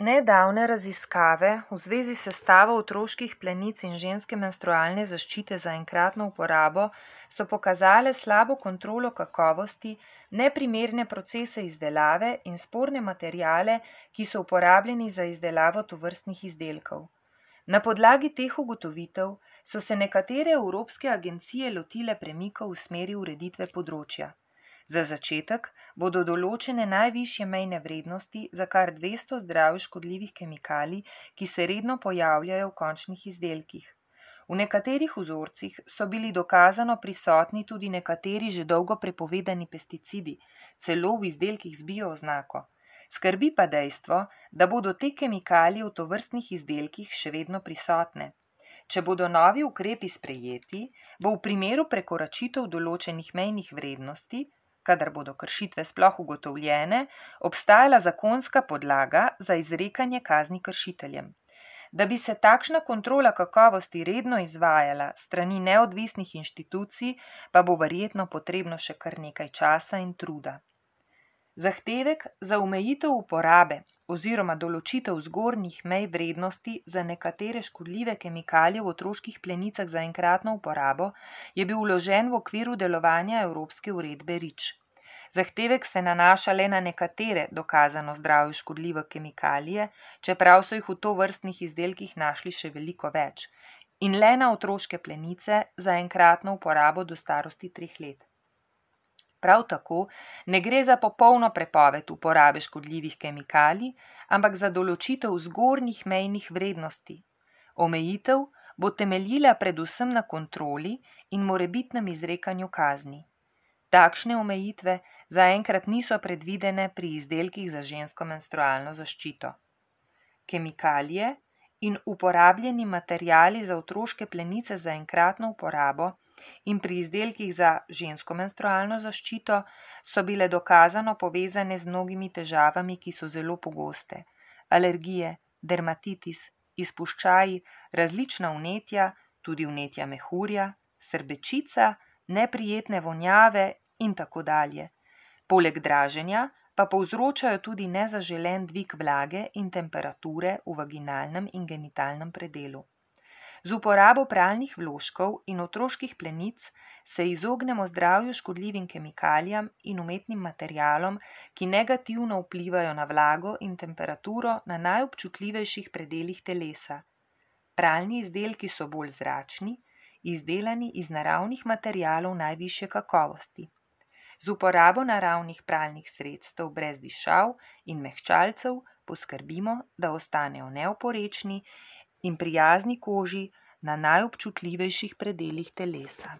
Nedavne raziskave v zvezi s sestavo otroških plenic in ženske menstrualne zaščite za enkratno uporabo so pokazale slabo kontrolo kakovosti, neprimerne procese izdelave in sporne materiale, ki so uporabljeni za izdelavo tovrstnih izdelkov. Na podlagi teh ugotovitev so se nekatere evropske agencije lotile premikov v smeri ureditve področja. Za začetek bodo določene najvišje mejne vrednosti za kar 200 zdravju škodljivih kemikalij, ki se redno pojavljajo v končnih izdelkih. V nekaterih vzorcih so bili dokazano prisotni tudi nekateri že dolgo prepovedani pesticidi, celo v izdelkih z bio-oznako. Skrbi pa dejstvo, da bodo te kemikalije v tovrstnih izdelkih še vedno prisotne. Če bodo novi ukrepi sprejeti, bo v primeru prekoračitev določenih mejnih vrednosti, kadar bodo kršitve sploh ugotovljene, obstajala zakonska podlaga za izrekanje kazni kršiteljem. Da bi se takšna kontrola kakovosti redno izvajala strani neodvisnih inštitucij, pa bo verjetno potrebno še kar nekaj časa in truda. Zahtevek za omejitev uporabe oziroma določitev zgornjih mej vrednosti za nekatere škodljive kemikalije v otroških plenicah za enkratno uporabo je bil vložen v okviru delovanja Evropske uredbe REACH. Zahtevek se nanaša le na nekatere dokazano zdravju škodljive kemikalije, čeprav so jih v tovrstnih izdelkih našli še veliko več, in le na otroške plenice za enkratno uporabo do starosti 3 let. Prav tako ne gre za popolno prepoved uporabe škodljivih kemikalij, ampak za določitev zgornjih mejnih vrednosti. Omejitev bo temeljila predvsem na kontroli in morebitnem izrekanju kazni. Takšne omejitve zaenkrat niso predvidene pri izdelkih za žensko menstrualno zaščito. Kemikalije in uporabljeni materiali za otroške plenice za enkratno uporabo in pri izdelkih za žensko menstrualno zaščito so bile dokazano povezane z mnogimi težavami, ki so zelo pogoste. Alergije, dermatitis, izpuščaji, različna vnetja, tudi vnetja mehurja, srbečica, neprijetne vonjave in tako dalje. Poleg draženja pa povzročajo tudi nezaželen dvig vlage in temperature v vaginalnem in genitalnem predelu. Z uporabo pralnih vložkov in otroških plenic se izognemo zdravju škodljivim kemikalijam in umetnim materialom, ki negativno vplivajo na vlago in temperaturo na najobčutljivejših predelih telesa. Pralni izdelki so bolj zračni, izdelani iz naravnih materialov najvišje kakovosti. Z uporabo naravnih pralnih sredstev brez dišav in mehčalcev poskrbimo, da ostanejo neoporečni in prijazni koži na najobčutljivejših predelih telesa.